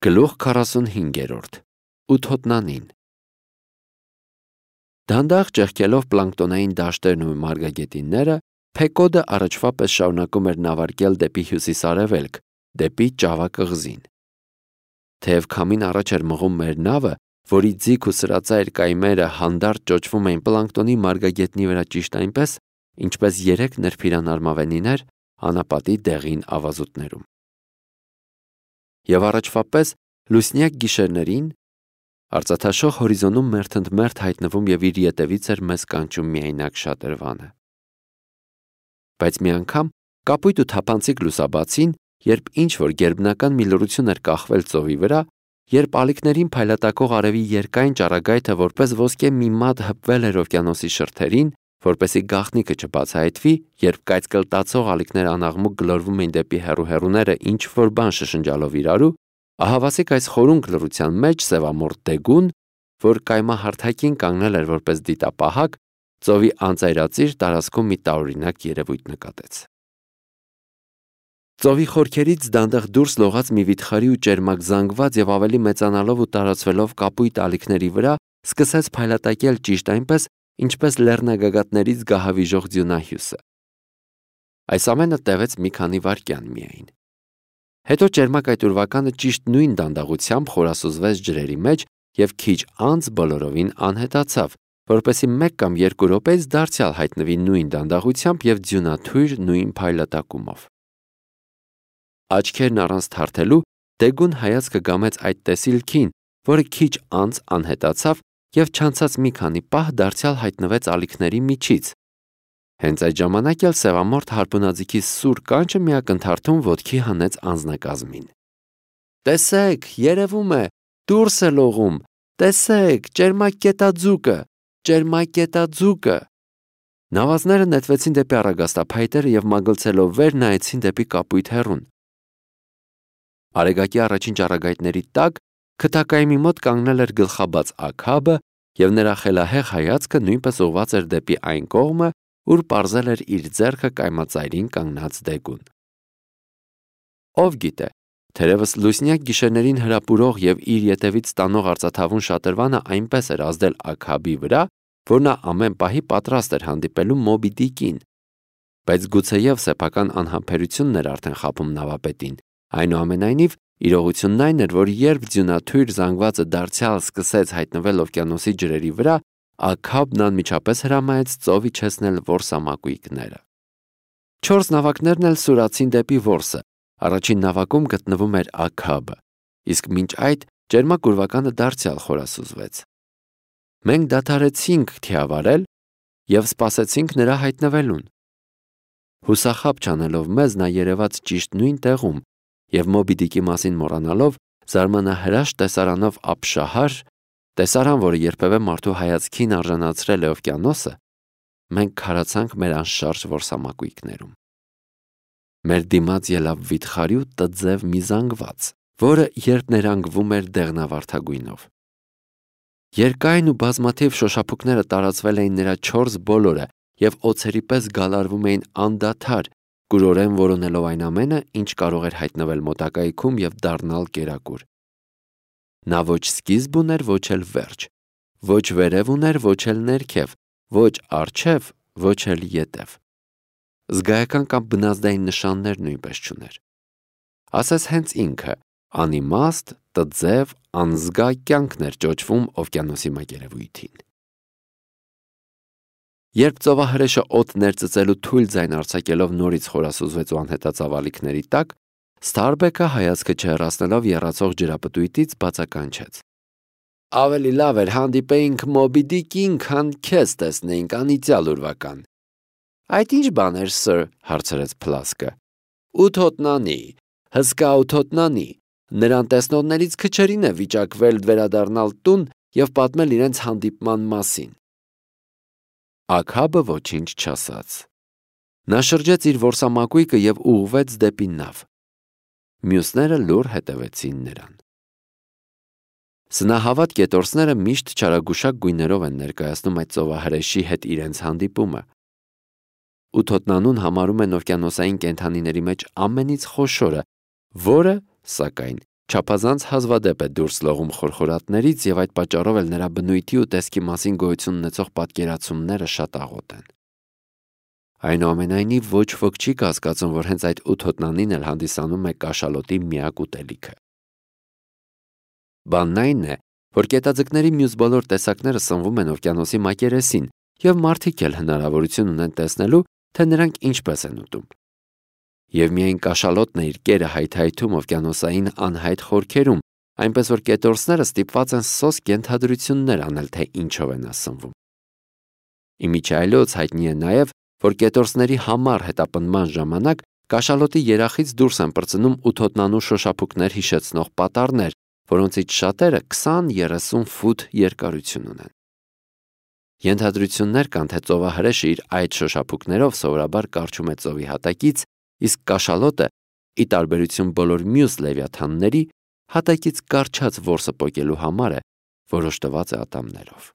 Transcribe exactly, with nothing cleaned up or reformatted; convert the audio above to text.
Գլուխ քառասունհինգերորդ. Ութոտնանին։ Դանդաղ ճեղքելով պլանկտոնային դաշտերն ու մարգագետինները, Փեկոդը առաջվա պես շարունակում էր նավարկել դեպի հյուսիսարևելք, դեպի Ճավա կղզին։ Թեև քամին առաջ էր մղում մեր նավը, որի ձիգ ու սրածայր կայմերը հանդարտ ճոճվում էին պլանկտոնի մարգագետնի վրա ճիշտ այնպես, ինչպես երեք նրբիրան արմավենիներ անապատի դեղին ավազուտներում։ Եվ առաջվա պես լուսնյակ գիշերներին արծաթաշող հորիզոնում մերթընդմերթ հայտնվում և իր ետևից էր մեզ կանչում միայնակ շատրվանը։ Բայց մի անգամ կապույտ ու թափանցիկ լուսաբացին, երբ ինչ-որ գերբնական մի լռություն էր կախվել ծովի վրա, երբ ալիքներին փայլատակող արևի երկայն ճառագայթը որպես ոսկե մի մատ հպվել էր օվկիանոսի շրթերին, որպեսզի գաղտնիքը չբացահայտվի, երբ կայծկլտացող ալիքները անաղմուկ գլորվում էին դեպի հեռու-հեռուները ինչ-որ բան շշնջալով իրարու, ահավասիկ այս խորունկ լռության մեջ սևամորթ դեգուն, որ կայմահարթակին կանգնել էր որպես դիտապահակ, ծովի անծայրածիր տարածքում մի տարօրինակ երևույթ նկատեց։ Ծովի խորքերից դանդաղ դուրս լողաց մի վիթխարի ու ճերմակ զանգված և ավելի մեծանալով ու տարածվելով կապույտ ալիքների վրա, սկսեց փայլատակել ճիշտ այնպես, ինչպես լեռնագագաթներից գահավիժող ձյունահյուսը։ Այս ամենը տևեց մի քանի վայրկյան միայն։ Հետո ճերմակ այդ ուրվականը ճիշտ նույն դանդաղությամբ խորասուզվեց ջրերի մեջ և քիչ անց բոլորովին անհետացավ, որպեսզի մեկ կամ երկու րոպեից դարձյալ հայտնվի նույն դանդաղությամբ և ձյունաթույր նույն փայլատակումով։ Աչքերն առանց թարթելու դեգուն հայացքը գամեց այդ տեսիլքին, որը քիչ անց անհետացավ և չանցած մի քանի պահ դարձյալ հայտնվեց ալիքների միջից։ Հենց այդ ժամանակ էլ սևամորթ հարպունաձիգի սուր կանչը մի ակնթարթում ոտքի հանեց անձնակազմին։ «Տեսեք, երևում է, դուրս է լողում, տեսեք, ճերմակ կետաձուկը, ճերմակ կետաձուկը»։ Նավազները նետվեցին դեպի առագաստափայտերը և մագլցելով վեր նայեցին դեպի կապույտ հեռուն։ Արեգակի առաջին ճառագայթների տակ քթակայմի մոտ կանգնել էր գլխաբաց Աքաբը, և նրա խելահեղ հայացքը նույնպես ուղղված էր դեպի այն կողմը, ուր պարզել էր իր ձեռքը կայմածայրին կանգնած դեգուն։ Ով գիտե, թերևս լուսնյակ գիշերներին հրապուրող և իր ետևից տանող արծաթավուն շատրվանը այնպես էր ազդել Աքաբի վրա, որ նա ամեն պահի պատրաստ էր հանդիպելու Մոբի Դիկին։ Բայց գուցեև սեփական անհամբերությունն էր արդեն խաբում նավապետին, այնուամենայնիվ իրողությունն այն էր, որ երբ ձյունաթույր զանգվածը դարձյալ սկսեց հայտնվել օվկիանոսի ջրերի վրա, Աքաբն անմիջապես հրամայեց ծով իջեցնել որսամակույկները։ Չորս նավակներն էլ սուրացին դեպի որսը, առաջին նավակում գտնվում էր Աքաբը, իսկ մինչ այդ ճերմակ ուրվականը դարձյալ խորասուզվեց։ Մենք դադարեցինք թիավարել և սպասեցինք նրա հայտնվելուն։ Հուսախաբ չանելով մեզ, նա երևաց ճիշտ նույն տեղում և Մոբի Դիկի մասին մոռանալով, զարմանահրաշ տեսարանով ապշահար, տեսարան, որը երբևէ մարդու հայացքին արժանացրել է օվկիանոսը, մենք քարացանք մեր անշարժ որսամակույկներում։ Մեր դիմաց ելավ վիթխարի ու տձև մի զանգված, որը երբ ներանգվում էր դեղնավարդագույնով։ Երկայն ու բազմաթիվ շոշափուկները տարածվել էին նրա չորս բոլորը և օձերի պես գալարվում էին անդադար, կուրորեն որոնելով այն ամենը, ինչ կարող էր հայտնվել մոտակայքում և դառնալ կերակուր։ Նա ոչ սկիզբ ուներ, ոչ էլ վերջ, ոչ վերև ուներ, ոչ էլ ներքև, ոչ առջև, ոչ էլ ետև։ Զգայական կամ բնազդային նշաններ նույնպես չուներ։ Ասես հենց ինքը անիմաստ, տձև, անզգա կյանքն էր ճոճվում օվկիանոսի մակերևույթին։ Երբ ծովահրեշը օդ ներծծելու թույլ ձայն արձակելով նորից խորասուզվեց ու անհետացավ ալիքների տակ, Սթարբեքը հայացքը չհեռացնելով եռացող ջրապտույտից բացականչեց. «Ավելի լավ էր հանդիպեինք Մոբի Դիկին, քան քեզ տեսնեինք անիծյալ ուրվական»։ «Այդ ինչ բան էր, սըր», հարցրեց Փլասկը։ «Ութոտնանի, հսկա ութոտնանի, նրան տեսնողներից քչերին է վիճակվել վերադառնալ տուն և պատմել իրենց հանդիպման մասին»։ Աքաբը ոչինչ չասաց։ Նա շրջեց իր որսամակույկը և ուղղվեց դեպի նավ։ Մյուսները լուռ հետևեցին նրան։ Սնահավատ կետորսները միշտ չարագուշակ գույներով են ներկայացնում այդ ծովահրեշի հետ իրենց հանդիպումը։ Ութոտնանուն համարում են օվկիանոսային կենդանիների մեջ ամենից խոշորը, որը, սակայն, Չափազանց հազվադեպ է դուրս լողում խորխորատներից եւ այդ պատճառով էլ նրա բնույթի ու տեսքի մասին գոյություն ունեցող պատկերացումները շատ աղոտ են։ Այնուամենայնիվ ոչ ոք չի կասկածում, որ հենց այդ ութ հոտնանին էլ հանդիսանում է կաշալոտի միակ ուտելիքը։ Բանն այն է, որ կետաձկների մյուս բոլոր տեսակները սնվում են օվկիանոսի մակերեսին եւ մարդիկ էլ հնարավորություն ունեն տեսնելու, թե նրանք ինչպես են ուտում։ Եվ միայն կաշալոտն է իր կերը հայթայթում օվկիանոսային անհայտ խորքերում, այնպես որ կետորսները ստիպված են սոսկ ենթադրություններ անել, թե ինչով են ասնվում։ Իմիջայլոց հայտնի է նաև, որ կետորսների համառ հետապնդման ժամանակ կաշալոտի երախից դուրս են պրծնում ութոտնանու շոշափուկներ հիշեցնող պատառներ, որոնցից շատերը քսան-երեսուն ֆուտ երկարություն ունեն։ Ենթադրություններ կան, թե ծովահրեշը իր այդ շոշափուկներով սովորաբար կառչում է ծովի հատակից, իսկ կաշալոտը, ի տարբերություն բոլոր մյուս լևիաթանների, հատակից կառչած որսը պոկելու համար է որոշ տված է ատամներով։